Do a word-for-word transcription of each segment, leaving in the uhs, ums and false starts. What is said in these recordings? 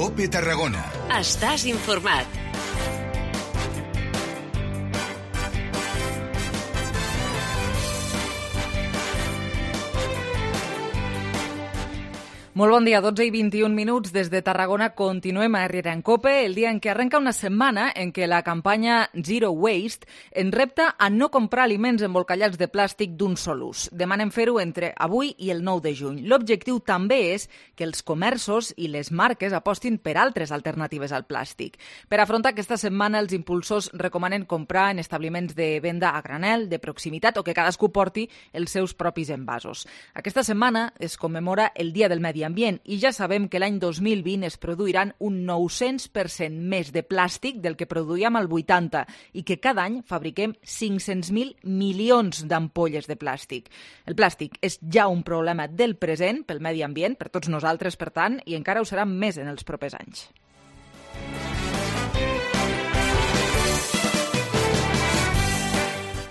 COPE Tarragona. Estàs informat. Molt bon dia, dotze i vint-i-un minuts des de Tarragona. Continuem a Herrera en Cope, el dia en què arrenca una setmana en què la campanya Zero Waste ens repta a no comprar aliments embolcallats de plàstic d'un sol ús. Demanem fer-ho entre avui i el nou de juny. L'objectiu també és que els comerços i les marques apostin per altres alternatives al plàstic. Per afrontar aquesta setmana, els impulsors recomanen comprar en establiments de venda a granel, de proximitat, o que cadascú porti els seus propis envasos. Aquesta setmana es commemora el Dia del Medi Ambient i ja sabem que l'any dos mil vint es produiran un nou-cents per cent més de plàstic del que produïem al vuitanta i que cada any fabriquem cinc-cents mil milions d'ampolles de plàstic. El plàstic és ja un problema del present pel medi ambient, per tots nosaltres, per tant, i encara ho serà més en els propers anys.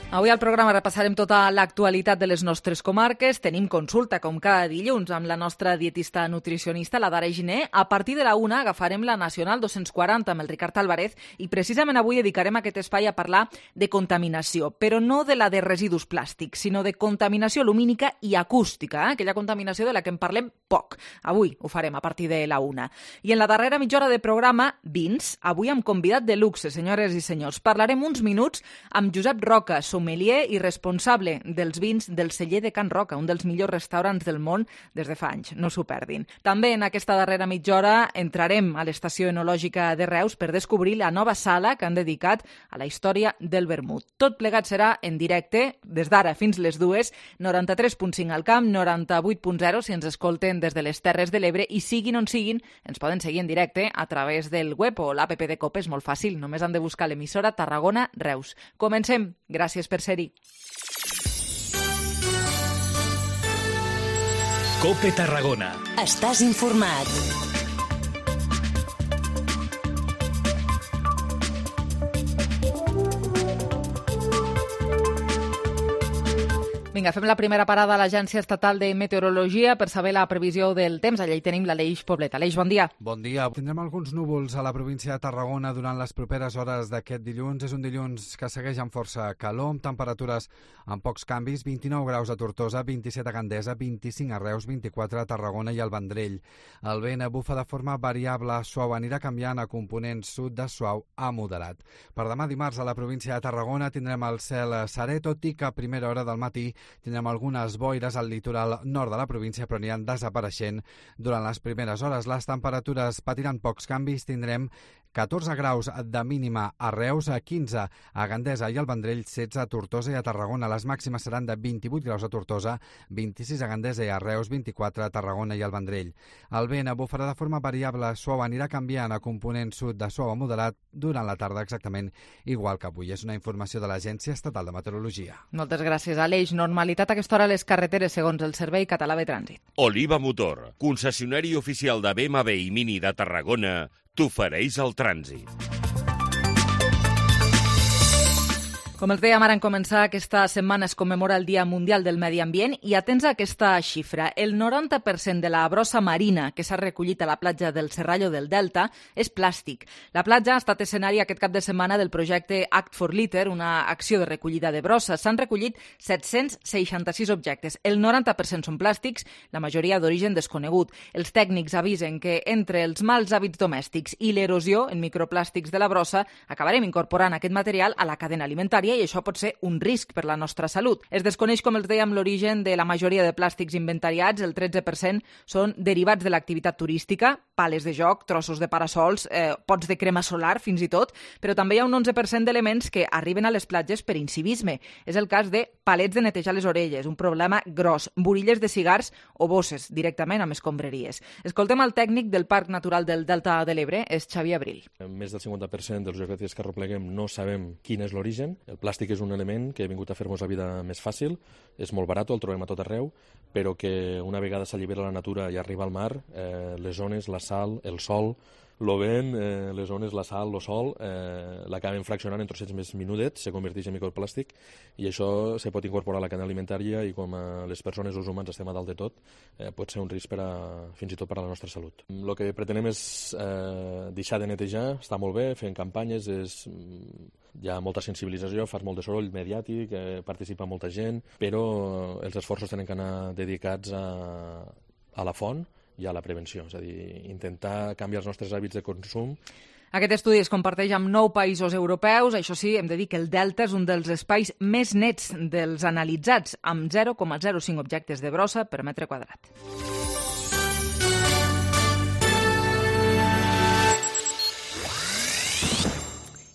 Avui al programa repassarem tota l'actualitat de les nostres comarques. Tenim consulta, com cada dilluns, amb la nostra dietista nutricionista, la Dara Giner. A partir de la una agafarem la Nacional dos-cents quaranta amb el Ricard Álvarez i precisament avui dedicarem aquest espai a parlar de contaminació, però no de la de residus plàstics, sinó de contaminació lumínica i acústica, eh? Aquella contaminació de la que en parlem poc. Avui ho farem a partir de la una. I en la darrera mitja hora de programa, vins, avui amb convidat de luxe, senyores i senyors. Parlarem uns minuts amb Josep Roca, sommelier i responsable dels vins del celler de Can Roca, un dels millors restaurants del món des de fa anys. No s'ho perdin. També en aquesta darrera mitja hora entrarem a l'estació enològica de Reus per descobrir la nova sala que han dedicat a la història del vermut. Tot plegat serà en directe, des d'ara fins les dues, noranta-tres punt cinc al camp, noranta-vuit punt zero si ens escolten des de les Terres de l'Ebre i siguin on siguin, ens poden seguir en directe a través del web o l'app de COPE, és molt fàcil, només han de buscar l'emissora Tarragona Reus. Comencem. Gràcies per ser-hi. COPE Tarragona. Estàs informat. Vinga, fem la primera parada a l'Agència Estatal de Meteorologia per saber la previsió del temps. Allà hi tenim l'Aleix Poblet. Aleix, bon dia. Bon dia. Tindrem alguns núvols a la província de Tarragona durant les properes hores d'aquest dilluns. És un dilluns que segueix amb força calor, amb temperatures amb pocs canvis, vint-i-nou graus a Tortosa, vint-i-set a Gandesa, vint-i-cinc a Reus, vint-i-quatre a Tarragona i al Vendrell. El vent bufa de forma variable, suau, anirà canviant a component sud de suau a moderat. Per demà dimarts a la província de Tarragona tindrem el cel serè, tot i que a primera hora del matí tindrem algunes boires al litoral nord de la província, però aniran desapareixent durant les primeres hores. Les temperatures patiran pocs canvis, tindrem catorze graus de mínima a Reus, quinze a Gandesa i al Vendrell, setze a Tortosa i a Tarragona. Les màximes seran de vint-i-vuit graus a Tortosa, vint-i-sis a Gandesa i a Reus, vint-i-quatre a Tarragona i al Vendrell. El vent bufarà de forma variable, suau, anirà canviant a component sud de suau a moderat durant la tarda, exactament igual que avui. És una informació de l'Agència Estatal de Meteorologia. Moltes gràcies, Aleix. Normalitat a aquesta hora a les carreteres segons el Servei Català de Trànsit. Oliva Motor, concessionari oficial de B M W i Mini de Tarragona, t'ofereix el trànsit. Com els dèiem ara en començar, aquesta setmana es commemora el Dia Mundial del Medi Ambient i atents a aquesta xifra, el noranta per cent de la brossa marina que s'ha recollit a la platja del Serrallo del Delta és plàstic. La platja ha estat escenari aquest cap de setmana del projecte Act for Litter, una acció de recollida de brossa. S'han recollit set-cents seixanta-sis objectes. El noranta per cent són plàstics, la majoria d'origen desconegut. Els tècnics avisen que entre els mals hàbits domèstics i l'erosió en microplàstics de la brossa acabarem incorporant aquest material a la cadena alimentària i això pot ser un risc per la nostra salut. Es desconeix, com els dèiem, l'origen de la majoria de plàstics inventariats. El tretze per cent són derivats de l'activitat turística, pales de joc, trossos de parasols, eh, pots de crema solar, fins i tot, però també hi ha un onze per cent d'elements que arriben a les platges per incivisme. És el cas de palets de netejar les orelles, un problema gros, burilles de cigars o bosses directament amb escombraries. Escoltem el tècnic del Parc Natural del Delta de l'Ebre, és Xavier Abril. Més del cinquanta per cent dels objectes que arrepleguem no sabem quin és l'origen. El plàstic és un element que ha vingut a fer-nos la vida més fàcil, és molt barat, el trobem a tot arreu, però que una vegada s'allibera la natura i arriba al mar, eh, les ones, la sal, el sol, el vent, eh, les ones, la sal, el sol, eh, l'acaben fraccionant en trossets més minudets, se converteix en microplàstic, i això se pot incorporar a la cadena alimentària i com a les persones o els humans estem a dalt de tot, eh, pot ser un risc per a, fins i tot per a la nostra salut. El que pretenem és eh, deixar de netejar, està molt bé, fent campanyes, és, hi ha molta sensibilització, fas molt de soroll mediàtic, eh, participa molta gent, però els esforços tenen que anar dedicats a, a la font i a la prevenció, és a dir, intentar canviar els nostres hàbits de consum. Aquest estudi es comparteix amb nou països europeus. Això sí, hem de dir que el Delta és un dels espais més nets dels analitzats, amb zero coma zero cinc objectes de brossa per metre quadrat.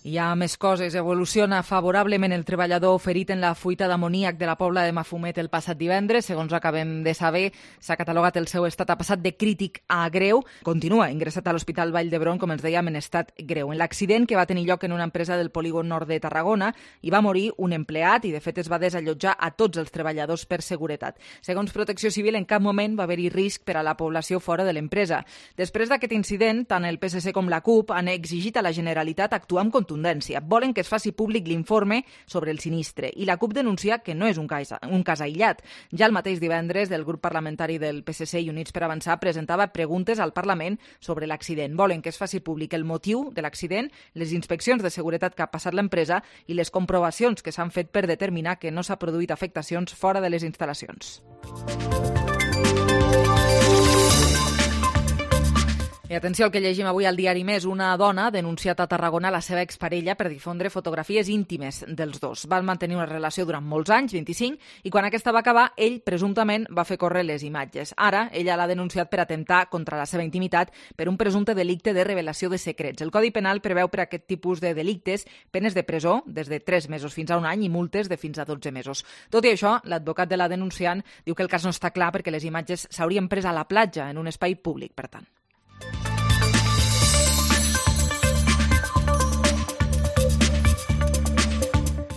Hi ha més coses. Evoluciona favorablement el treballador ferit en la fuita d'amoníac de la Pobla de Mafumet el passat divendres. Segons acabem de saber, s'ha catalogat el seu estat, ha passat de crític a greu. Continua ingressat a l'Hospital Vall d'Hebron, com ens dèiem, en estat greu. En l'accident que va tenir lloc en una empresa del polígon nord de Tarragona, hi va morir un empleat i, de fet, es va desallotjar a tots els treballadors per seguretat. Segons Protecció Civil, en cap moment va haver-hi risc per a la població fora de l'empresa. Després d'aquest incident, tant el P S C com la CUP han exigit a la Generalitat actuar amb contundència. Volen que es faci públic l'informe sobre el sinistre i la CUP denuncia que no és un cas, un cas aïllat. Ja el mateix divendres, el grup parlamentari del P S C i Units per Avançar presentava preguntes al Parlament sobre l'accident. Volen que es faci públic el motiu de l'accident, les inspeccions de seguretat que ha passat l'empresa i les comprovacions que s'han fet per determinar que no s'ha produït afectacions fora de les instal·lacions. I atenció al que llegim avui al diari Més. Una dona ha denunciat a Tarragona la seva exparella per difondre fotografies íntimes dels dos. Van mantenir una relació durant molts anys, vint-i-cinc, i quan aquesta va acabar, ell presumptament va fer córrer les imatges. Ara, ella l'ha denunciat per atemptar contra la seva intimitat per un presumpte delicte de revelació de secrets. El Codi Penal preveu per a aquest tipus de delictes penes de presó des de tres mesos fins a un any i multes de fins a dotze mesos. Tot i això, l'advocat de la denunciant diu que el cas no està clar perquè les imatges s'haurien pres a la platja, en un espai públic, per tant.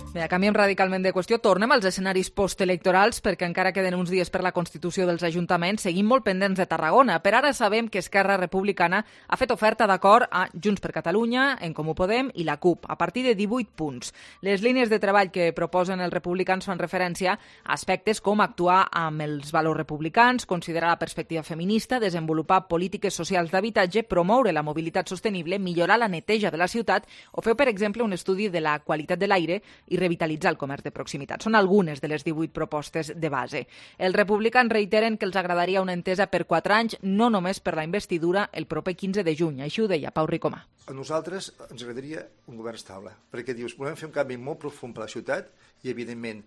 Bé, canviem radicalment de qüestió. Tornem als escenaris postelectorals perquè encara queden uns dies per la constitució dels ajuntaments, seguim molt pendents de Tarragona. Per ara sabem que Esquerra Republicana ha fet oferta d'acord a Junts per Catalunya, En Comú Podem i la CUP, a partir de divuit punts. Les línies de treball que proposen els republicans fan referència a aspectes com actuar amb els valors republicans, considerar la perspectiva feminista, desenvolupar polítiques socials d'habitatge, promoure la mobilitat sostenible, millorar la neteja de la ciutat o fer, per exemple, un estudi de la qualitat de l'aire i revitalitzar el comerç de proximitat. Són algunes de les divuit propostes de base. Els republicans reiteren que els agradaria una entesa per quatre anys, no només per la investidura el proper quinze de juny. Així ho deia Pau Ricomà. A nosaltres ens agradaria un govern estable, perquè dius, volem fer un canvi molt profund per la ciutat i, evidentment,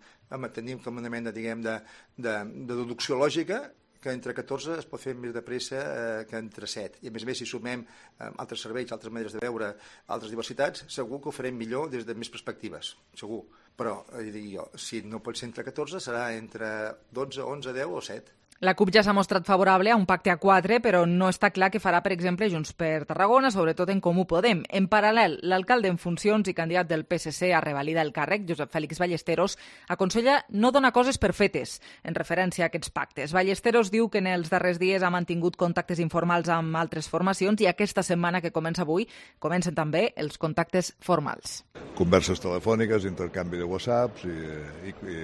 tenim com una mena, diguem, de, de, de deducció lògica que entre catorze es pot fer més de pressa eh, que entre set. I a més a més, si sumem eh, altres serveis, altres maneres de veure, altres diversitats, segur que ho farem millor des de més perspectives, segur. Però, eh, jo, si no pot ser entre catorze, serà entre dotze, onze, deu o set. La CUP ja s'ha mostrat favorable a un pacte a quatre, però no està clar què farà, per exemple, Junts per Tarragona, sobretot En Comú Podem. En paral·lel, l'alcalde en funcions i candidat del P S C a revalidar el càrrec, Josep Fèlix Ballesteros, aconsella no donar coses per fetes, en referència a aquests pactes. Ballesteros diu que en els darrers dies ha mantingut contactes informals amb altres formacions i aquesta setmana que comença avui comencen també els contactes formals. Converses telefòniques, intercanvi de whatsapps i, i, i,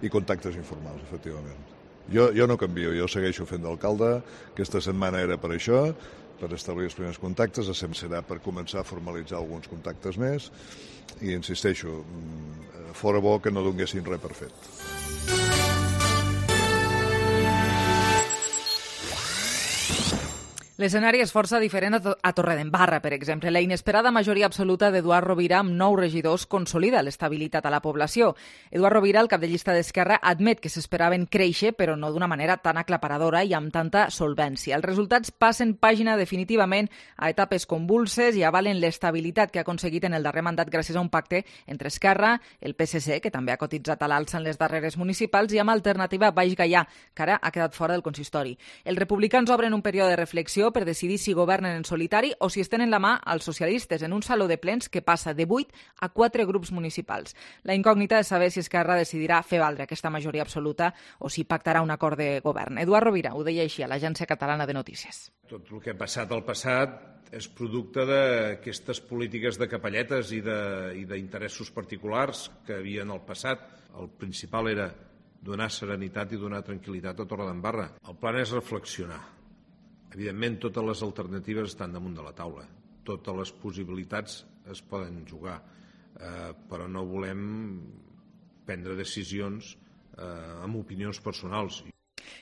i contactes informals, efectivament. Jo, jo no canvio, jo segueixo fent d'alcalde, aquesta setmana era per això, per establir els primers contactes, sempre serà per començar a formalitzar alguns contactes més i insisteixo, fora bo que no donguessin res per fet. L'escenari és força diferent a Torredembarra, per exemple. La inesperada majoria absoluta d'Eduard Rovira amb nou regidors consolida l'estabilitat a la població. Eduard Rovira, el cap de llista d'Esquerra, admet que s'esperaven créixer, però no d'una manera tan aclaparadora i amb tanta solvència. Els resultats passen pàgina definitivament a etapes convulses i avalen l'estabilitat que ha aconseguit en el darrer mandat gràcies a un pacte entre Esquerra, el P S C, que també ha cotitzat a l'alça en les darreres municipals, i amb Alternativa Baix Gaià, que ara ha quedat fora del consistori. Els republicans obren un període de reflexió per decidir si governen en solitari o si es tenen la mà als socialistes en un saló de plens que passa de vuit a quatre grups municipals. La incògnita és saber si Esquerra decidirà fer valdre aquesta majoria absoluta o si pactarà un acord de govern. Eduard Rovira ho deia així a l'Agència Catalana de Notícies. Tot el que ha passat al passat és producte d'aquestes polítiques de capelletes i d'interessos particulars que havia en el passat. El principal era donar serenitat i donar tranquil·litat a Torredembarra. El plan és reflexionar. Evidentment, totes les alternatives estan damunt de la taula. Totes les possibilitats es poden jugar, eh, però no volem prendre decisions eh, amb opinions personals.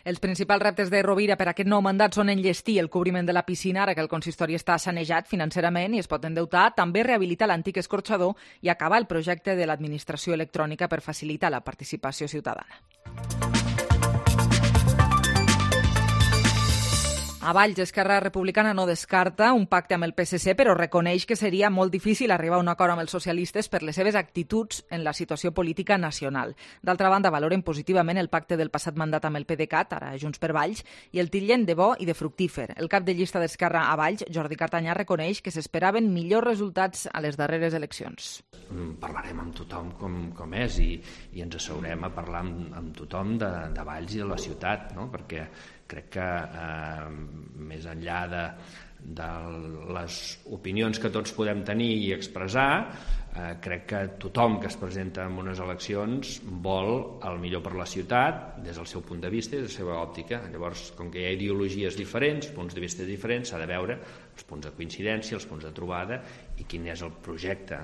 Els principals reptes de Rovira per aquest nou mandat són enllestir el cobriment de la piscina, ara que el consistori està sanejat financerament i es pot endeutar, també rehabilitar l'antic escorxador i acabar el projecte de l'administració electrònica per facilitar la participació ciutadana. A Valls, Esquerra Republicana no descarta un pacte amb el P S C, però reconeix que seria molt difícil arribar a un acord amb els socialistes per les seves actituds en la situació política nacional. D'altra banda, valoren positivament el pacte del passat mandat amb el PDeCAT, ara Junts per Valls, i el titllen de bo i de fructífer. El cap de llista d'Esquerra a Valls, Jordi Cartanyà, reconeix que s'esperaven millors resultats a les darreres eleccions. Parlarem amb tothom com, com és i, i ens asseurem a parlar amb, amb tothom de, de Valls i de la ciutat, no? Perquè crec que eh, més enllà de, de les opinions que tots podem tenir i expressar, eh, crec que tothom que es presenta en unes eleccions vol el millor per la ciutat des del seu punt de vista i de la seva òptica. Llavors, com que hi ha ideologies diferents, punts de vista diferents, s'ha de veure els punts de coincidència, els punts de trobada i quin és el projecte.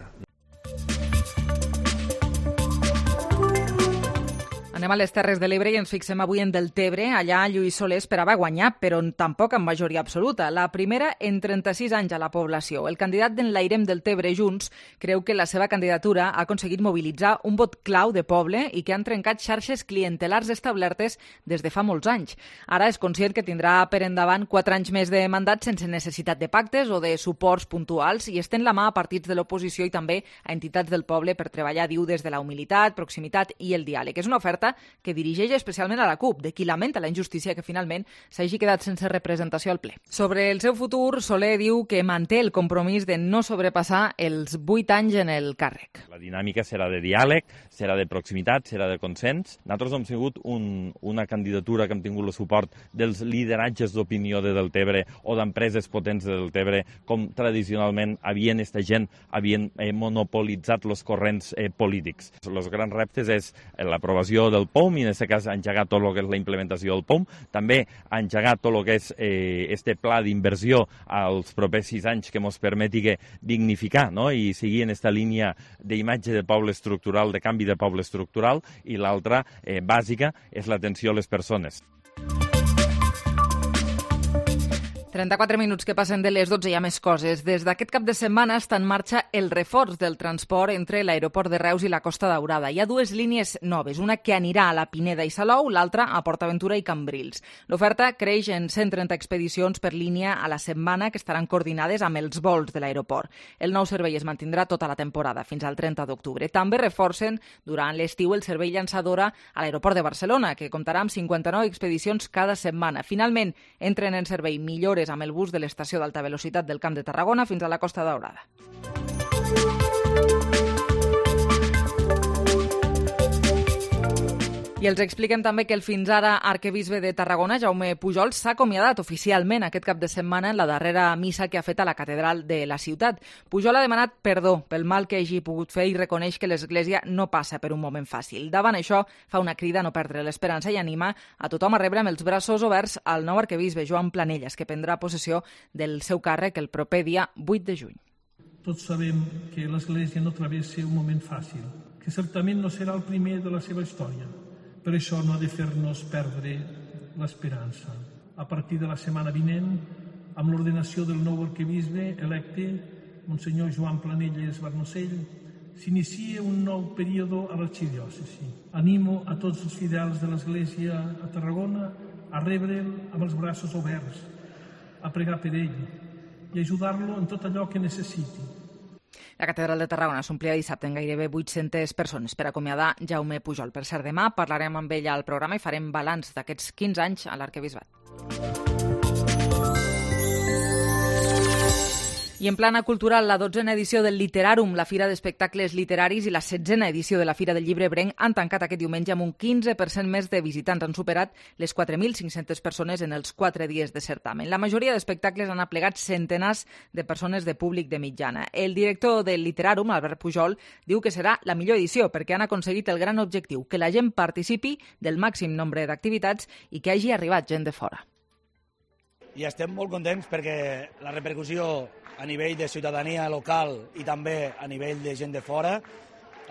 Anem a les Terres de l'Ebre i ens fixem avui en Deltebre. Allà Lluís Soler esperava guanyar, però tampoc amb majoria absoluta. La primera en trenta-sis anys a la població. El candidat d'Enlairem Deltebre Junts creu que la seva candidatura ha aconseguit mobilitzar un vot clau de poble i que han trencat xarxes clientelars establertes des de fa molts anys. Ara és conscient que tindrà per endavant quatre anys més de mandat sense necessitat de pactes o de suports puntuals i estén la mà a partits de l'oposició i també a entitats del poble per treballar, diu, des de la humilitat, proximitat i el diàleg. És una oferta que dirigeix especialment a la CUP, de qui lamenta la injustícia que finalment s'hagi quedat sense representació al ple. Sobre el seu futur, Soler diu que manté el compromís de no sobrepassar els vuit anys en el càrrec. La dinàmica serà de diàleg, serà de proximitat, serà de consens. Nosaltres hem sigut un, una candidatura que hem tingut el suport dels lideratges d'opinió de Deltebre o d'empreses potents de Deltebre, com tradicionalment havien esta gent, havien eh, monopolitzat els corrents eh, polítics. Els grans reptes és l'aprovació del P O M i en aquest cas engegar tot el que és la implementació del P O M, també engegar tot el que és eh, este pla d'inversió als propers sis anys que ens permeti dignificar, no? I seguir en aquesta línia d'imatge de poble estructural, de canvi de poble estructural, i l'altra eh, bàsica és l'atenció a les persones. trenta-quatre minuts que passen de les dotze, hi ha més coses. Des d'aquest cap de setmana està en marxa el reforç del transport entre l'aeroport de Reus i la Costa Daurada. Hi ha dues línies noves, una que anirà a la Pineda i Salou, l'altra a PortAventura i Cambrils. L'oferta creix en cent trenta expedicions per línia a la setmana que estaran coordinades amb els vols de l'aeroport. El nou servei es mantindrà tota la temporada, fins al trenta d'octubre. També reforcen durant l'estiu el servei llançadora a l'aeroport de Barcelona, que comptarà amb cinquanta-nou expedicions cada setmana. Finalment, entren en servei millores amb el bus de l'estació d'alta velocitat del Camp de Tarragona fins a la Costa Daurada. I els expliquem també que el fins ara arquebisbe de Tarragona, Jaume Pujol, s'ha acomiadat oficialment aquest cap de setmana en la darrera missa que ha fet a la catedral de la ciutat. Pujol ha demanat perdó pel mal que hagi pogut fer i reconeix que l'Església no passa per un moment fàcil. Davant això, fa una crida a no perdre l'esperança i anima a tothom a rebre amb els braços oberts al nou arquebisbe, Joan Planelles, que prendrà possessió del seu càrrec el proper dia vuit de juny. Tots sabem que l'Església no travessa un moment fàcil, que certament no serà el primer de la seva història. Per això no ha de fer-nos perdre l'esperança. A partir de la setmana vinent, amb l'ordenació del nou arquebisbe electe, Monsenyor Joan Planelles Barnosell, s'inicia un nou període a l'arxidiòcesi. Animo a tots els fidels de l'Església a Tarragona a rebre'l amb els braços oberts, a pregar per ell i ajudar-lo en tot allò que necessiti. La catedral de Tarragona s'omplia dissabte en gairebé vuit-centes persones per acomiadar Jaume Pujol. Per cert, demà parlarem amb ell al programa i farem balanç d'aquests quinze anys a l'arquebisbat. I en plana cultural, la dotzena edició del Literàrum, la Fira d'Espectacles Literaris, i la setzena edició de la Fira del Llibre Ebrenc han tancat aquest diumenge amb un quinze per cent més de visitants. Han superat les quatre mil cinc-centes persones en els quatre dies de certamen. La majoria d'espectacles han aplegat centenars de persones de públic de mitjana. El director del Literàrum, Albert Pujol, diu que serà la millor edició perquè han aconseguit el gran objectiu, que la gent participi del màxim nombre d'activitats i que hagi arribat gent de fora. I estem molt contents perquè la repercussió a nivell de ciutadania local i també a nivell de gent de fora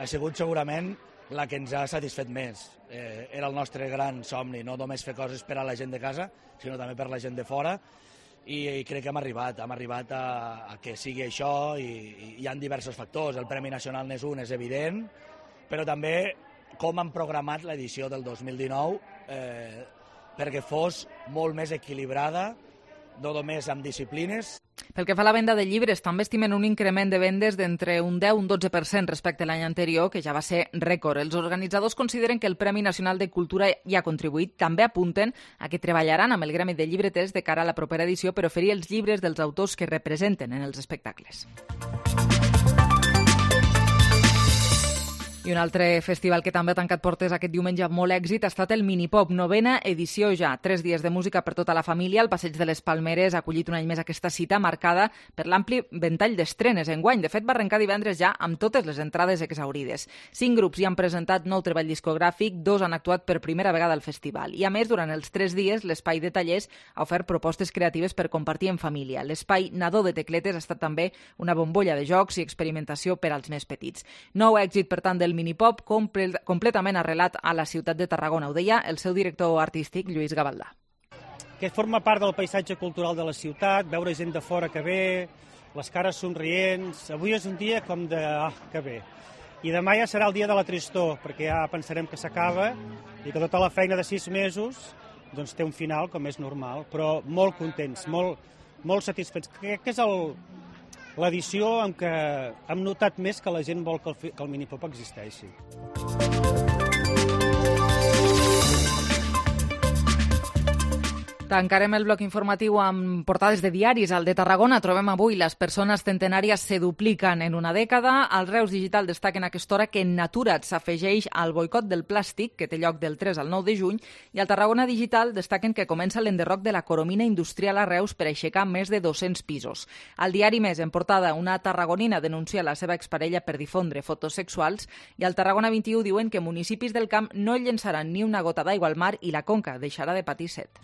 ha sigut segurament la que ens ha satisfet més. Eh, era el nostre gran somni, no només fer coses per a la gent de casa, sinó també per a la gent de fora, i, i crec que hem arribat, hem arribat a, a que sigui això, i, i hi ha diversos factors. El Premi Nacional n'és un, és evident, però també com han programat l'edició del dos mil dinou eh, perquè fos molt més equilibrada, no només amb disciplines. Pel que fa a la venda de llibres, també estimen un increment de vendes d'entre un deu i un dotze per cent respecte a l'any anterior, que ja va ser rècord. Els organitzadors consideren que el Premi Nacional de Cultura hi ha contribuït. També apunten a que treballaran amb el gremi de llibreters de cara a la propera edició per oferir els llibres dels autors que representen en els espectacles. I un altre festival que també ha tancat portes aquest diumenge amb molt èxit ha estat el Minipop, novena edició ja. Tres dies de música per tota la família. El Passeig de les Palmeres ha acollit un any més aquesta cita marcada per l'ampli ventall d'estrenes enguany. De fet, va arrencar divendres ja amb totes les entrades exaurides. Cinc grups hi han presentat nou treball discogràfic, dos han actuat per primera vegada al festival. I a més, durant els tres dies, l'espai de tallers ha ofert propostes creatives per compartir en família. L'espai Nadó de Tecletes ha estat també una bombolla de jocs i experimentació per als més petits. Nou èxit, per tant, del Minipop comple completament arrelat a la ciutat de Tarragona. Ho deia el seu director artístic, Lluís Gavaldà. Que forma part del paisatge cultural de la ciutat, veure gent de fora que ve, les cares somrients. Avui és un dia com de... ah, que bé. I demà ja serà el dia de la tristor, perquè ja pensarem que s'acaba i que tota la feina de sis mesos doncs té un final, com és normal, però molt contents, molt, molt satisfets. Crec que és el... l'edició en què hem notat més que la gent vol que el, que el Minipop existeixi. Tancarem el bloc informatiu amb portades de diaris. Al de Tarragona trobem avui les persones centenàries se dupliquen en una dècada. Al Reus Digital destaquen a aquesta hora que Natura't s'afegeix al boicot del plàstic, que té lloc del tres al nou de juny, i al Tarragona Digital destaquen que comença l'enderroc de la Coromina Industrial a Reus per aixecar més de dos-cents pisos. Al diari Més, en portada, una tarragonina denuncia la seva exparella per difondre fotos sexuals, i al Tarragona vint-i-u diuen que municipis del camp no llençaran ni una gota d'aigua al mar i la conca deixarà de patir set.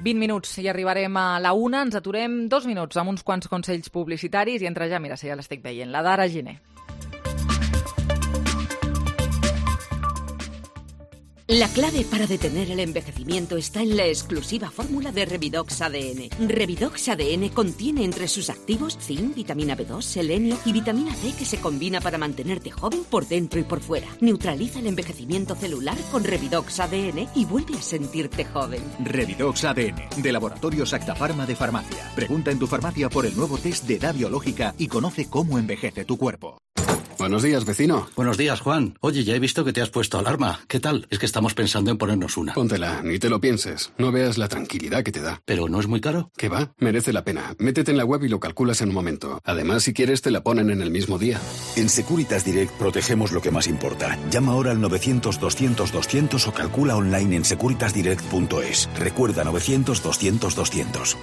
vint minuts i arribarem a la una. Ens aturem dos minuts amb uns quants consells publicitaris i entra ja, mira, si ja l'estic veient, la d'Ara Giner. La clave para detener el envejecimiento está en la exclusiva fórmula de Revidox A D N. Revidox A D N contiene entre sus activos zinc, vitamina B dos, selenio y vitamina C que se combina para mantenerte joven por dentro y por fuera. Neutraliza el envejecimiento celular con Revidox A D N y vuelve a sentirte joven. Revidox A D N, de Laboratorios Acta Pharma de Farmacia. Pregunta en tu farmacia por el nuevo test de edad biológica y conoce cómo envejece tu cuerpo. Buenos días, vecino. Buenos días, Juan. Oye, ya he visto que te has puesto alarma. ¿Qué tal? Es que estamos pensando en ponernos una. Póntela, ni te lo pienses. No veas la tranquilidad que te da. ¿Pero no es muy caro? ¿Qué va? Merece la pena. Métete en la web y lo calculas en un momento. Además, si quieres, te la ponen en el mismo día. En Securitas Direct protegemos lo que más importa. Llama ahora al novecientos doscientos doscientos o calcula online en securitas direct punto es. Recuerda novecientos doscientos doscientos.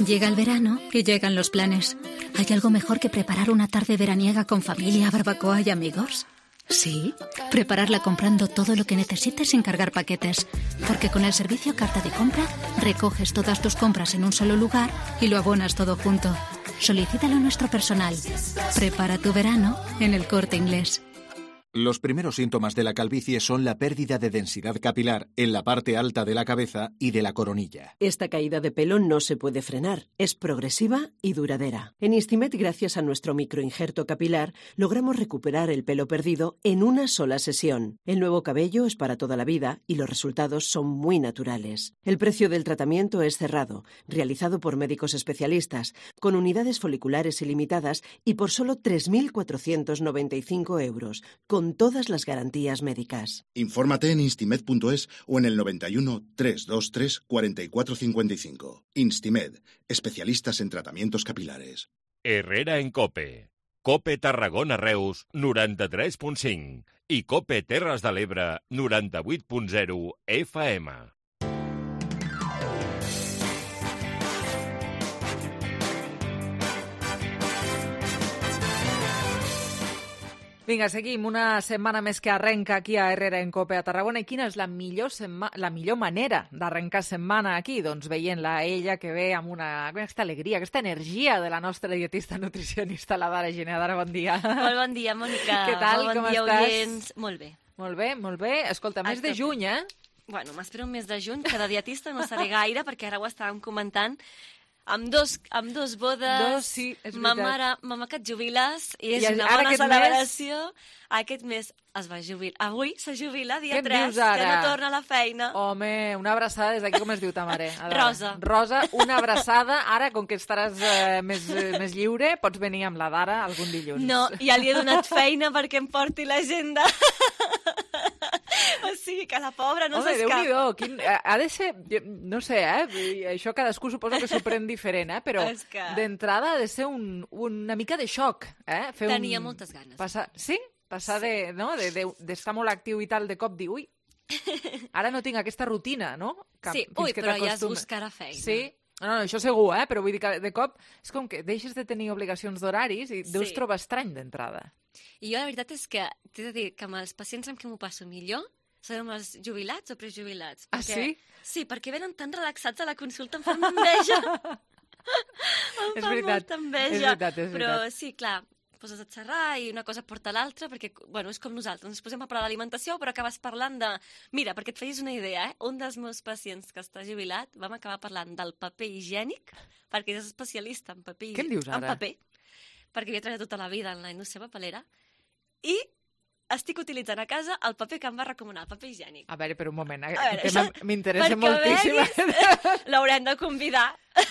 Llega el verano y llegan los planes. ¿Hay algo mejor que preparar una tarde veraniega con familia, barbacoa y amigos? Sí, prepararla comprando todo lo que necesites sin cargar paquetes. Porque con el servicio Carta de Compra recoges todas tus compras en un solo lugar y lo abonas todo junto. Solicítalo a nuestro personal. Prepara tu verano en El Corte Inglés. Los primeros síntomas de la calvicie son la pérdida de densidad capilar en la parte alta de la cabeza y de la coronilla. Esta caída de pelo no se puede frenar, es progresiva y duradera. En Instimet, gracias a nuestro microinjerto capilar, logramos recuperar el pelo perdido en una sola sesión. El nuevo cabello es para toda la vida y los resultados son muy naturales. El precio del tratamiento es cerrado, realizado por médicos especialistas, con unidades foliculares ilimitadas y por solo tres mil cuatrocientos noventa y cinco euros, con con todas las garantías médicas. Infórmate en instimed punto es o en el noventa y uno, trescientos veintitrés, cuarenta y cuatro cincuenta y cinco. Instimed, especialistas en tratamientos capilares. Herrera en Cope. Cope Tarragona Reus, noranta-tres punt cinc. I Cope Terres de l'Ebre, noranta-vuit punt zero F M. Vinga, seguim. Una setmana més que arrenca aquí a Herrera en Cope a Tarragona. I quina és la millor, setma... la millor manera d'arrencar setmana aquí? Doncs veient-la a ella que ve amb una... aquesta alegria, aquesta energia de la nostra dietista nutricionista, la Dara Giner. Dara, bon dia. Molt bon dia, Mònica. Què tal? Molt bon Com dia, estàs? oients. Molt bé. Molt bé, molt bé. Escolta, mes de juny, eh? Bueno, m'espero un mes de juny, que de dietista no seré gaire, perquè ara ho estàvem comentant. Amb dos, amb dos bodes, dos, sí, és ma veritat. mare, mama que et jubiles, i és I una ara bona aquest celebració. Mes... Aquest mes es va jubilar. Avui se jubila, dia Què em tres, dius ara? que no torna a la feina. Home, una abraçada des d'aquí, com es diu ta mare? A veure. Rosa. Rosa, una abraçada. Ara, com que estaràs eh, més, eh, més lliure, pots venir amb la Dara algun dilluns. No, ja li he donat feina perquè em porti l'agenda. O sigui, que la pobra no Home, s'escapa. Déu-n'hi-do, quin... ha de ser, no sé, eh? I això cadascú suposo que s'ho pren diferent, eh? Però És que- d'entrada ha de ser un, una mica de xoc, eh? Fer Tenia un... moltes ganes. Passar... Sí? Passar sí. de, no? de, de, d'estar molt actiu i tal, de cop dir, ui, ara no tinc aquesta rutina, no? Que, Sí, fins ui, que però ja es t'acostumes. buscarà feina. Sí? No, no, això segur, eh? Però vull dir que de cop és com que deixes de tenir obligacions d'horaris i deus Sí. trobar estrany d'entrada. I jo la veritat és que t'he de dir que amb els pacients amb qui m'ho passo millor són amb els jubilats o prejubilats. Ah, perquè, sí? Sí, perquè venen tan relaxats a la consulta, em fan enveja. em És fan veritat, molta enveja. és veritat, és Però veritat. sí, clar, poses a xerrar i una cosa porta l'altra, perquè, bueno, és com nosaltres, ens posem a parlar d'alimentació, però acabes parlant de... Mira, perquè et feis una idea, eh? Un dels meus pacients que està jubilat, vam acabar parlant del paper higiènic, perquè és especialista en paper Què em dius en ara? paper, perquè havia treballat tota la vida en la indústria papelera, i estic utilitzant a casa el paper que em va recomanar, el paper higiènic. A veure, per un moment, A aquest veure, tema això- m'interessa perquè moltíssim. veguis, l'haurem de convidar.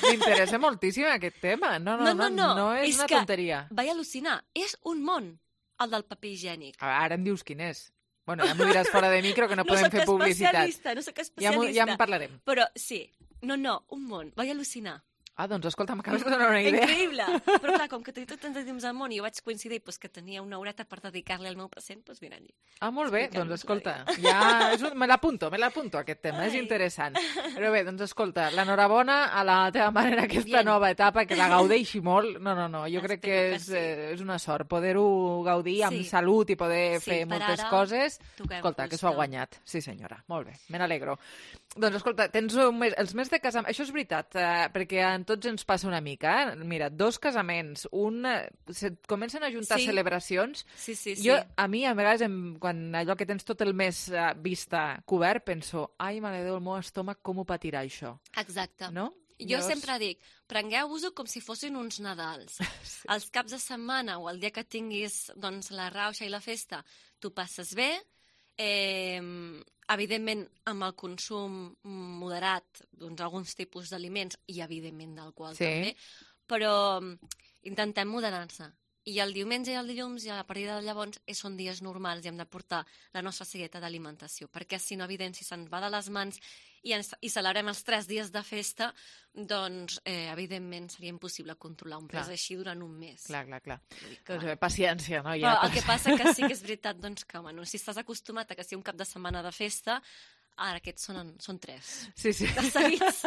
M'interessa moltíssim aquest tema. No, no, no, no, no és, una que tonteria. vaig al·lucinar. És un món, el del paper higiènic. Ara em dius quin és. Bueno, ja m'ho diràs fora de micro, que no, No podem sóc fer publicitat. especialista, no sóc Ja, m'ho- especialista. ja en parlarem. Però sí, no, no, un món. Vaig al·lucinar. Ah, doncs escolta, m'acabes de donar una idea. Increïble! Però clar, com que té tot tants temps al món i jo vaig coincidir pues, que tenia una horeta per dedicar-li al meu pacient, doncs mira allí. Ah, molt bé, Explicar-nos doncs escolta, ja és un... me l'apunto, me l'apunto aquest tema, és Ai. interessant. Però bé, doncs escolta, l'enhorabona a la teva mare en aquesta Bien. nova etapa, que la gaudeixi molt. No, no, no, jo crec que Espero que és, sí. eh, és una sort poder-ho gaudir amb Sí. salut i poder Sí, fer per moltes ara coses. toquem Escolta, que fusta. s'ho ha guanyat. Sí, senyora, molt bé, me n'alegro. Doncs escolta, tens un mes, els mesos de casament, això és veritat, eh, perquè a tots ens passa una mica, eh? Mira, dos casaments, un... eh, Se comencen a juntar Sí. celebracions. Sí, sí, sí. Jo, a mi, a vegades, em, quan allò que tens tot el mes eh, vista cobert, penso, ai, mare de Déu, el meu estómac, com ho patirà això? Exacte. No? Jo Llavors- sempre dic, prengueu-vos-ho com si fossin uns Nadals. Sí. Els caps de setmana o el dia que tinguis doncs, la rauxa i la festa, tu passes bé, eh, evidentment amb el consum moderat doncs, alguns tipus d'aliments i evidentment d'alcohol Sí. també, però mm, intentem moderar-se. I el diumenge i el dilluns, i a partir de llavors, eh, són dies normals i hem de portar la nostra segueta d'alimentació, perquè si no, evident, si se'n va de les mans i, ens, i celebrem els tres dies de festa, doncs, eh, evidentment, seria impossible controlar un pes Clar. així durant un mes. Clar, clar, clar. Vull dir que, Doncs, eh, paciència, no? Però Ja, el que passa que sí que és veritat, doncs, que bueno, si estàs acostumat a que sigui un cap de setmana de festa, ara aquests són, són tres. Sí, sí. De seguits.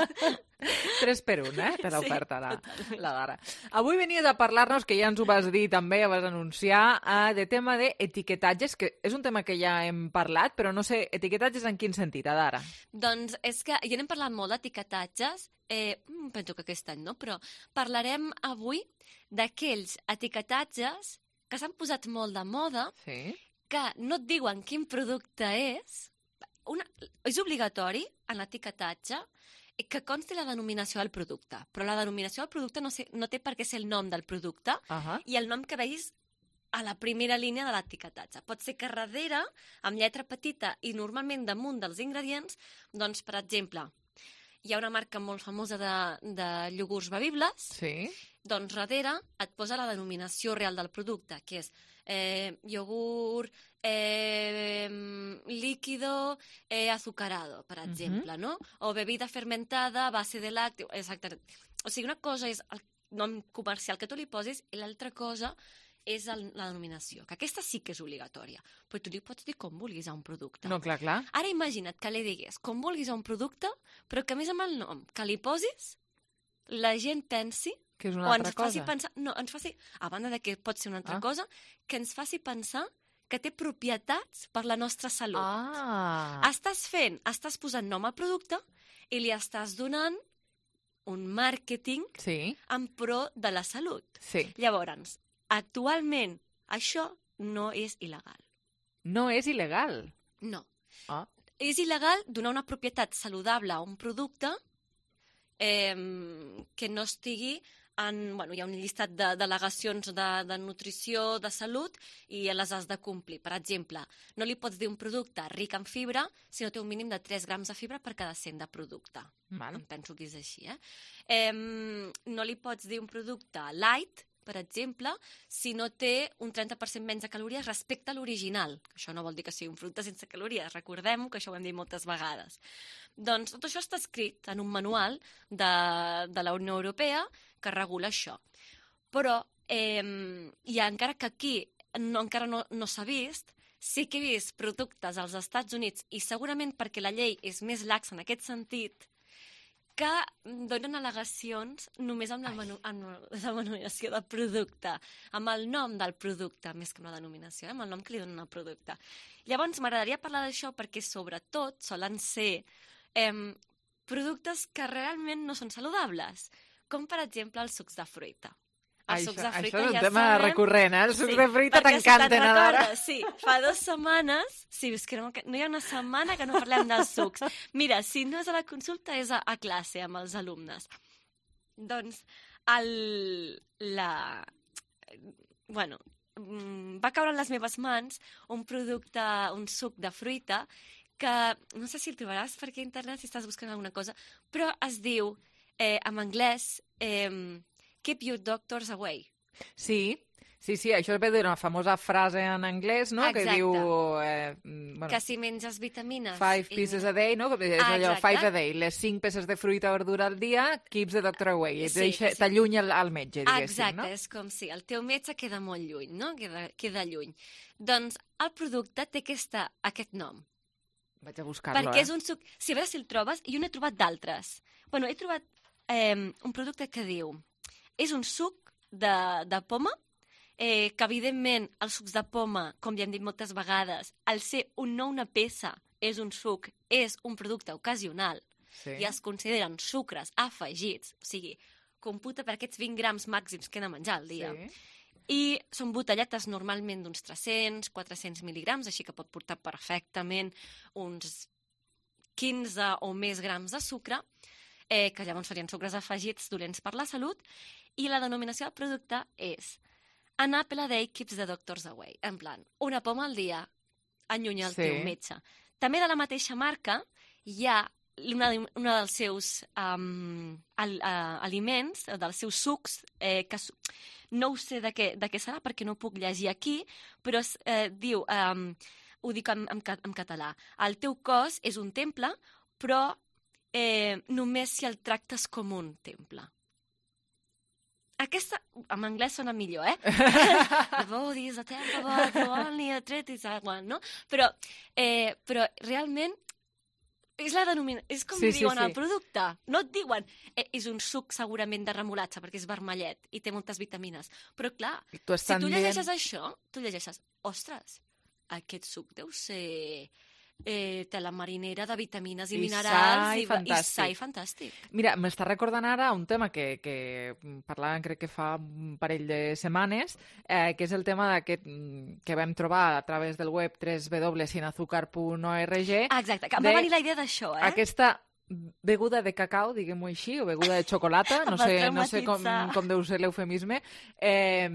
Tres per un, eh? Per Sí, l'oferta, la, totalment. la Dara. Avui venies a parlar-nos, que ja ens ho vas dir també, ja vas anunciar, eh, de tema d'etiquetatges, que és un tema que ja hem parlat, però no sé, etiquetatges en quin sentit, Dara? Doncs és que ja n'hem parlat molt d'etiquetatges, eh, mm, penso que aquest any no, però parlarem avui d'aquells etiquetatges que s'han posat molt de moda, sí. que no et diuen quin producte és. Una, és obligatori en l'etiquetatge que consti la denominació del producte, però la denominació del producte no, sé, no té per què ser el nom del producte Uh -huh. i el nom que veis a la primera línia de l'etiquetatge. Pot ser que darrere, amb lletra petita i normalment damunt dels ingredients, doncs, per exemple, hi ha una marca molt famosa de, de iogurts bevibles Sí. Doncs darrere et posa la denominació real del producte, que és eh, iogurt eh, líquido eh, azucarado, per exemple, uh-huh. no? O bebida fermentada a base de làcteo, exacte. O sigui, una cosa és el nom comercial que tu li posis i l'altra cosa és el, la denominació, que aquesta sí que és obligatòria, però tu li pots dir com vulguis a un producte. No, clar, clar. Ara imagina't que li digués com vulguis a un producte, però que a més amb el nom que li posis, la gent pensi que és una o altra ens faci cosa. pensar, no, ens faci, a banda de que pot ser una altra Ah. cosa, que ens faci pensar que té propietats per la nostra salut. Ah. Estàs fent, estàs posant nom al producte i li estàs donant un màrqueting sí. en pro de la salut. Sí. Llavors, actualment, això no és il·legal. No és il·legal? No. Ah. És il·legal donar una propietat saludable a un producte eh, que no estigui en... Bueno, hi ha un llistat de delegacions de, de nutrició, de salut, i les has de complir. Per exemple, no li pots dir un producte ric en fibra si no té un mínim de tres grams de fibra per cada cent de producte. Val. Em penso que és així, eh? eh? No li pots dir un producte light, per exemple, si no té un trenta per cent menys de calories respecte a l'original. Això no vol dir que sigui un producte sense calories, recordem que això ho hem dit moltes vegades. Doncs tot això està escrit en un manual de, de la Unió Europea que regula això. Però, eh, i encara que aquí no, encara no, no s'ha vist, sí que he vist productes als Estats Units, i segurament perquè la llei és més laxa en aquest sentit, que donen al·legacions només amb la, manu amb la denominació del producte, amb el nom del producte, més que amb la denominació, eh? Amb el nom que li donen al producte. Llavors, m'agradaria parlar d'això perquè, sobretot, solen ser eh, productes que realment no són saludables, com, per exemple, els sucs de fruita. Els Això, sucs de fruita això és un ja tema sabem... recurrent, eh? Els sucs Sí, de fruita perquè si t'encanten, te'n ara. recordes, sí, fa dues setmanes, sí, és que no, no hi ha una setmana que no parlem dels sucs. Mira, si no és a la consulta, és a, a classe amb els alumnes. Doncs, el, la... Bueno, va caure en les meves mans un producte, un suc de fruita, que no sé si el trobaràs per aquí a internet, si estàs buscant alguna cosa, però es diu, eh, en anglès, eh, Keep your doctors away. Sí, sí, sí, això ve d'una famosa frase en anglès, no?, Exacte. que diu... Eh, bueno, Que si menges vitamines... Five i- pieces a day, no? Que és allò, Exacte. five a day. Les cinc peces de fruita o verdura al dia keeps the doctor away. Sí, Sí, deixa, sí. t'allunya al, al metge, diguéssim, Exacte, no? és com si el teu metge queda molt lluny, no? Queda, queda lluny. Doncs el producte té aquesta, aquest nom. Vaig a buscar-lo, Perquè eh? és un suc... Si a veure si el trobes, jo n'he trobat d'altres. Bueno, he trobat eh, un producte que diu... És un suc de, de poma, eh, que evidentment els sucs de poma, com ja hem dit moltes vegades, al ser un no una peça, és un suc, és un producte ocasional, Sí. i es consideren sucres afegits, o sigui, computa per aquests vint grams màxims que he de menjar al dia. Sí. I són botelletes normalment d'uns tres-cents, quatre-cents mil·ligrams, així que pot portar perfectament uns quinze o més grams de sucre, eh, que llavors serien sucres afegits dolents per la salut, i la denominació del producte és An apple a day keeps the doctors away. En plan, una poma al dia allunya el Sí. teu metge. També de la mateixa marca hi ha una, una dels seus um, al, uh, aliments, dels seus sucs, eh, que su- no ho sé de què, de què serà perquè no puc llegir aquí, però es, eh, diu, um, ho dic en, en, ca- en català, el teu cos és un temple, però eh, només si el tractes com un temple. Aquesta, en anglès sona millor, eh? The body is a temple, but the only a treat is a one, no? Però, eh, però realment és la denominació, és com Sí, li sí, diuen sí. al producte. No et diuen, eh, és un suc segurament de remolatxa perquè és vermellet i té moltes vitamines. Però clar, T'ho si estan tu dient- llegeixes això, tu llegeixes, ostres, aquest suc deu ser eh, tela marinera de vitamines i, I minerals sa i i, fantàstic. i sa i fantàstic. Mira, m'està recordant ara un tema que, que parlàvem crec que fa un parell de setmanes, eh, que és el tema d'aquest mm, que vam trobar a través del web w w w punt sin azúcar punt org. Exacte, que em de va venir la idea d'això, eh? Aquesta beguda de cacau, diguem-ho així, o beguda de xocolata, no Em va sé, no sé com, traumatitzar. com deu ser l'eufemisme, eh,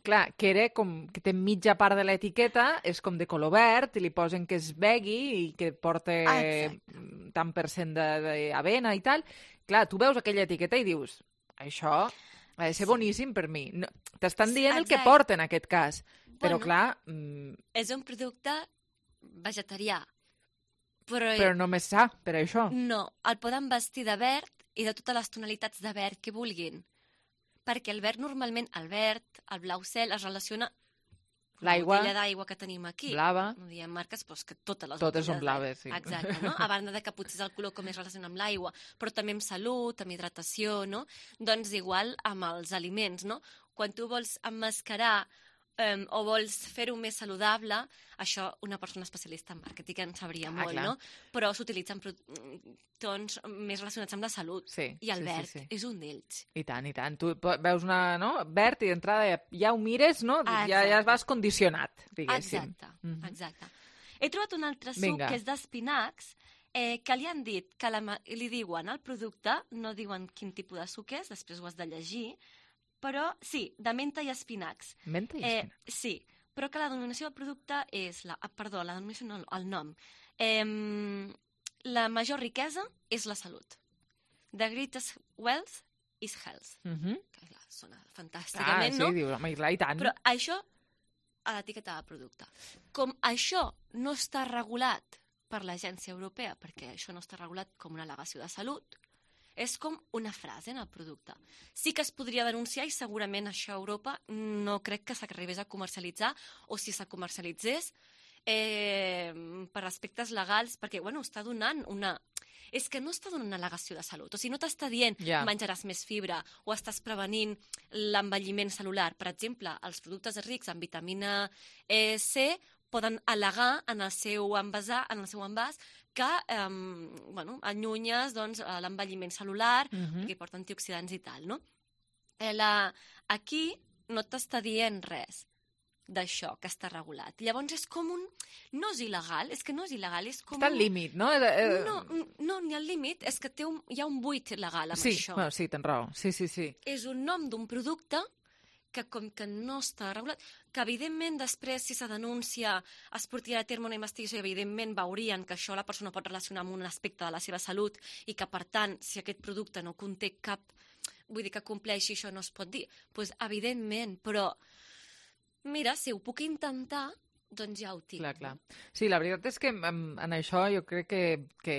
clar, que era com que té mitja part de l'etiqueta, és com de color verd, i li posen que es begui i que porta Exacte. tant per cent d'avena i tal. Clar, tu veus aquella etiqueta i dius, això Ha de ser boníssim per mi. No, t'estan dient Sí, el que exacte. porta en aquest cas. Però, Bueno, clar, mm, És un producte vegetarià. Però, però només sa, per això. No, el poden vestir de verd i de totes les tonalitats de verd que vulguin. Perquè el verd normalment, el verd, el blau cel, es relaciona amb la L'aigua, botella d'aigua que tenim aquí. blava. No diem marques, però és que totes les Totes són botelles d'aigua. blaves, sí. Exacte, no? A banda de que potser és el color que més relaciona amb l'aigua, però també amb salut, amb hidratació, no? Doncs igual amb els aliments, no? Quan tu vols emmascarar um, o vols fer-ho més saludable, això una persona especialista en màrqueting en sabria Ah, molt, clar. no? Però s'utilitzen pro- tons més relacionats amb la salut. Sí, I el sí, sí, verd sí. és un d'ells. I tant, i tant. Tu po- veus una, no? Verd i d'entrada ja, ja ho mires, no? Ah, ja, ja exacte. vas condicionat, diguéssim. Exacte, Mhm. exacte. He trobat un altre suc Vinga. que és d'espinacs, eh, que li han dit, que la, ma- li diuen al producte, no diuen quin tipus de suc és, després ho has de llegir, però sí, de menta i espinacs. Menta i Eh, espinacs. sí, però que la denominació del producte és, la, ah, perdó, la denominació no, el nom. Eh, la major riquesa és la salut. The greatest wealth is health. Mhm. Que clar, sona Ah, fantàsticament, sí, no? dius, home, i clar, i tant. Però això a l'etiqueta de producte. Com això no està regulat per l'Agència Europea, perquè això no està regulat com una al·legació de salut, és com una frase en el producte. Sí que es podria denunciar i segurament això a Europa no crec que s'arribés a comercialitzar, o si se comercialitzés eh, per aspectes legals, perquè bueno, està donant una... És que no està donant una al·legació de salut. O sigui, no t'està dient Ja. menjaràs més fibra o estàs prevenint l'envelliment celular. Per exemple, els productes rics en vitamina eh, C poden al·legar en el seu envasar, en el seu envàs que eh, bueno, allunyes doncs, eh, l'envelliment celular, Mhm. perquè porta antioxidants i tal, no? Eh, la... Aquí no t'està dient res d'això que està regulat. Llavors és com un... No és il·legal, és que no és il·legal, és com Està al un... límit, no? Eh, No, no, ni al límit, és que té un, hi ha un buit legal amb sí, això. bueno, sí, tens raó. Sí, sí, sí. És un nom d'un producte que com que no està regulat, que evidentment després si se denuncia es portarà a terme una investigació i evidentment veurien que això la persona pot relacionar amb un aspecte de la seva salut i que per tant si aquest producte no conté cap, vull dir que compleixi això no es pot dir, doncs evidentment, però mira, si ho puc intentar, doncs ja ho tinc. Clar, clar. Sí, la veritat és que en, en això jo crec que, que...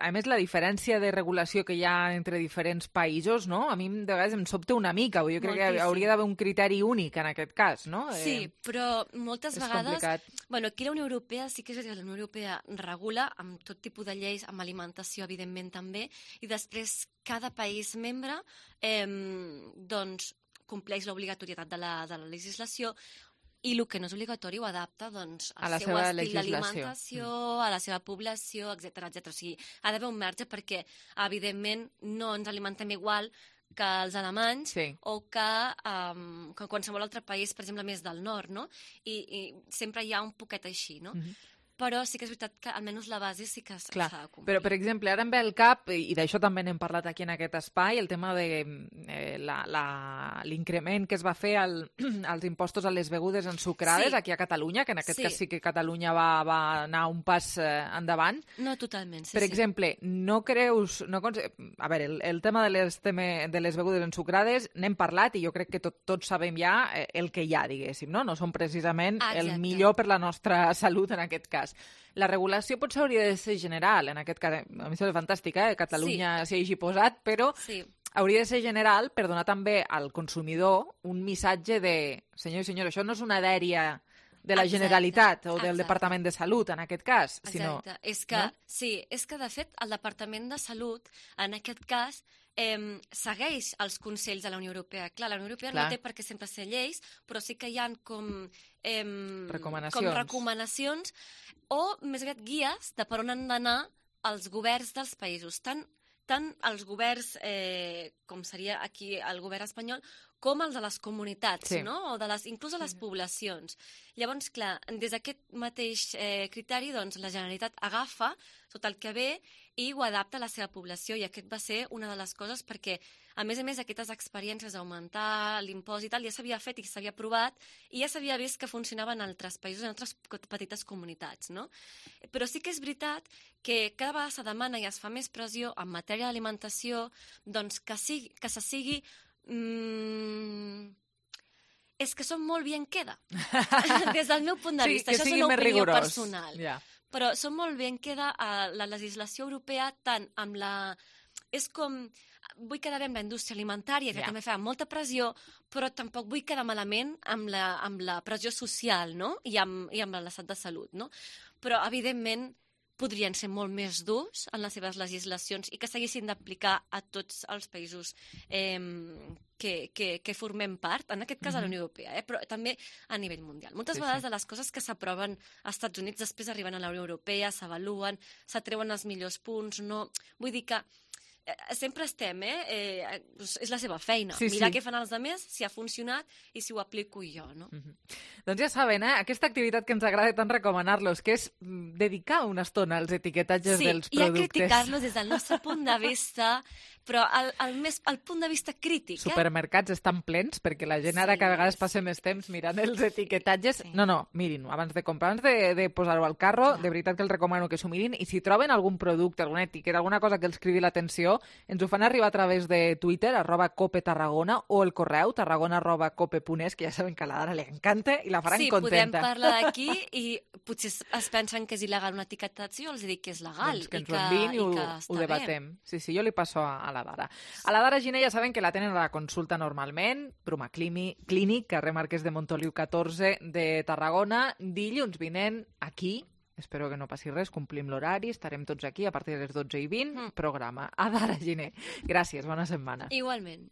A més, la diferència de regulació que hi ha entre diferents països, no? A mi de vegades em sobta una mica. Jo crec Moltíssim. que hauria d'haver un criteri únic en aquest cas, no? Sí, Eh, però moltes és vegades... complicat. Bueno, aquí la Unió Europea sí que és veritat que la Unió Europea regula amb tot tipus de lleis, amb alimentació, evidentment, també, i després cada país membre eh, doncs, compleix l'obligatorietat de, la, de la legislació i el que no és obligatori ho adapta doncs, A al la seu seva estil legislació. d'alimentació, a la seva població, etcètera, etcètera. O sigui, ha d'haver un marge perquè, evidentment, no ens alimentem igual que els alemanys Sí. o que, um, que qualsevol altre país, per exemple, més del nord, no? I, i sempre hi ha un poquet així, no? Mhm. Però sí que és veritat que almenys la base sí que s'ha Clar, de complir. però per exemple, ara em ve al cap, i d'això també n'hem parlat aquí en aquest espai, el tema de eh, la- la- l'increment que es va fer al, als impostos a les begudes ensucrades Sí. aquí a Catalunya, que en aquest Sí. cas sí que Catalunya va, va anar un pas eh, endavant. No, totalment, sí, Per sí. exemple, no creus... No conse... A veure, el, el tema de les, teme, de les begudes ensucrades n'hem parlat i jo crec que tot, tots sabem ja eh, el que hi ha, diguéssim, no? No són precisament Ah, el exacte. millor per la nostra salut en aquest cas. La regulació potser hauria de ser general, en aquest cas, a mi em sembla fantàstic, eh? Catalunya s'hi hagi posat, però Sí. hauria de ser general per donar també al consumidor un missatge de senyor i senyora, això no és una dèria de la Exacte, Generalitat o del exacte. Departament de Salut, en aquest cas, sinó... Exacte. És que, no? sí, és que de fet el Departament de Salut, en aquest cas, eh, segueix els consells de la Unió Europea. Clar, la Unió Europea Clar. no té per què sempre ser lleis, però sí que hi ha com... Eh, Recomanacions. Com recomanacions o, més aviat, guies de per on han d'anar els governs dels països. Tant, tant els governs, eh, com seria aquí el govern espanyol, com els de les comunitats, Sí. no? O de les, inclús de les poblacions. Llavors, clar, des d'aquest mateix eh, criteri, doncs, la Generalitat agafa tot el que ve i ho adapta a la seva població, i aquest va ser una de les coses perquè, a més a més, aquestes experiències d'augmentar l'impost i tal ja s'havia fet i s'havia provat i ja s'havia vist que funcionava en altres països, en altres petites comunitats, no? Però sí que és veritat que cada vegada se demana i es fa més pressió en matèria d'alimentació doncs que, sigui, que se sigui Mm... és que són molt bien queda. Des del meu punt de sí, vista. Això és una opinió rigorós. personal. Yeah. Però són molt bien queda a la legislació europea tant amb la... És com... Vull quedar bé amb la indústria alimentària, que yeah. també fa molta pressió, però tampoc vull quedar malament amb la, amb la pressió social, no? I amb, i amb l'estat de salut, no? Però, evidentment, podrien ser molt més durs en les seves legislacions i que s'haguessin d'aplicar a tots els països eh, que, que, que formem part, en aquest cas a la Unió Europea, eh, però també a nivell mundial. Moltes sí, vegades sí. de les coses que s'aproven als Estats Units després arriben a la Unió Europea, s'avaluen, s'atreuen els millors punts, no... Vull dir que sempre estem, eh? eh? És la seva feina. Sí, Mirar sí. què fan els altres, si ha funcionat i si ho aplico jo, no? Mm-hmm. Doncs ja saben, eh? Aquesta activitat que ens agrada tant recomanar-los, que és dedicar una estona als etiquetatges sí, dels productes. Sí, i a criticar-los des del nostre punt de vista, però el, el, més, el punt de vista crític. Supermercats eh? estan plens, perquè la gent ara sí, que a vegades passa més temps mirant els etiquetatges. Sí. No, no, mirin, abans de comprar, abans de, de posar-ho al carro, Clar. de veritat que els recomano que s'ho mirin, i si troben algun producte, alguna etiqueta, alguna cosa que els cridi l'atenció, ens ho fan arribar a través de Twitter, arroba Cope Tarragona, o el correu, tarragona arroba cope punt es, que ja saben que a la Dara li encanta i la faran sí, contenta. Sí, podem parlar d'aquí i potser es pensen que és il·legal una etiquetació, els dic que és legal doncs que i, que, i, i ho, que està ho debatem. bé. Sí, sí, jo li passo a, a la Dara. A la Dara Giner ja saben que la tenen a la consulta normalment, Bruma Clínic, carrer Marquès de Montoliu catorze de Tarragona, dilluns vinent aquí. Espero que no passi res, complim l'horari, estarem tots aquí a partir de les dotze i vint, mm. programa. A Dara Giner. Gràcies, bona setmana. Igualment.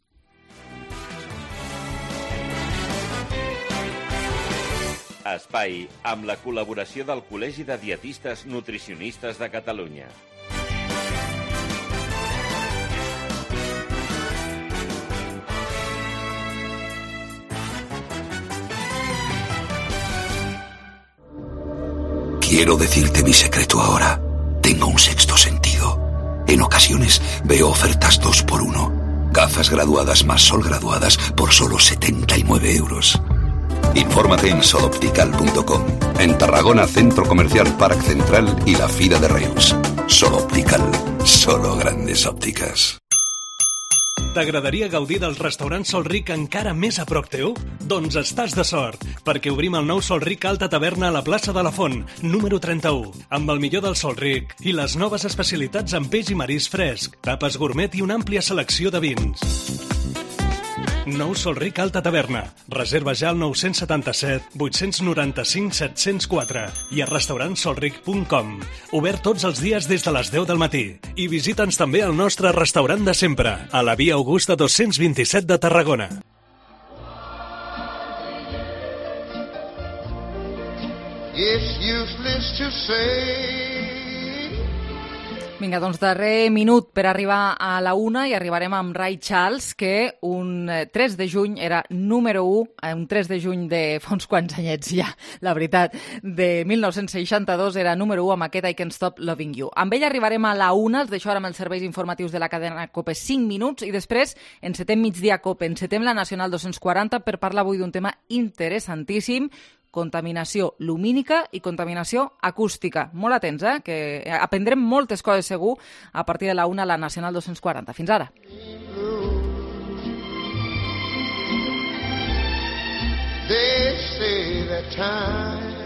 Espai, amb la col·laboració del Col·legi de Dietistes Nutricionistes de Catalunya. Quiero decirte mi secreto ahora. Tengo un sexto sentido. En ocasiones veo ofertas dos por uno. Gafas graduadas más sol graduadas por solo setenta y nueve euros. Infórmate en soloptical punto com. En Tarragona, Centro Comercial Parc Central y la Fira de Reus. Soloptical. Solo grandes ópticas. T'agradaria gaudir del restaurant Sol Ric encara més a prop teu? Doncs estàs de sort, perquè obrim el nou Sol Ric Alta Taverna a la plaça de la Font, número trenta-u, amb el millor del Sol Ric i les noves especialitats en peix i marisc fresc, tapes gourmet i una àmplia selecció de vins. Nou Sol Ric Alta Taverna. Reserva ja al nou setanta-set vuit nou cinc set zero quatre i a restaurant solric punt com. Obert tots els dies des de les deu del matí. I visita'ns també al nostre restaurant de sempre, a la Via Augusta dos-cents vint-i-set de Tarragona. It's useless to say. Vinga, doncs darrer minut per arribar a la una i arribarem amb Ray Charles, que un tres de juny era número u, un tres de juny de fa uns quants anyets ja, la veritat, de mil nou-cents seixanta-dos era número u amb aquest I Can't Stop Loving You. Amb ell arribarem a la una, els deixo ara amb els serveis informatius de la cadena COPE cinc minuts i després encetem migdia COPE, encetem la Nacional dos-cents quaranta per parlar avui d'un tema interessantíssim, contaminació lumínica i contaminació acústica. Molt atents, eh? Que aprendrem moltes coses segur a partir de la una a la Nacional dos-cents quaranta. Fins ara. They say that time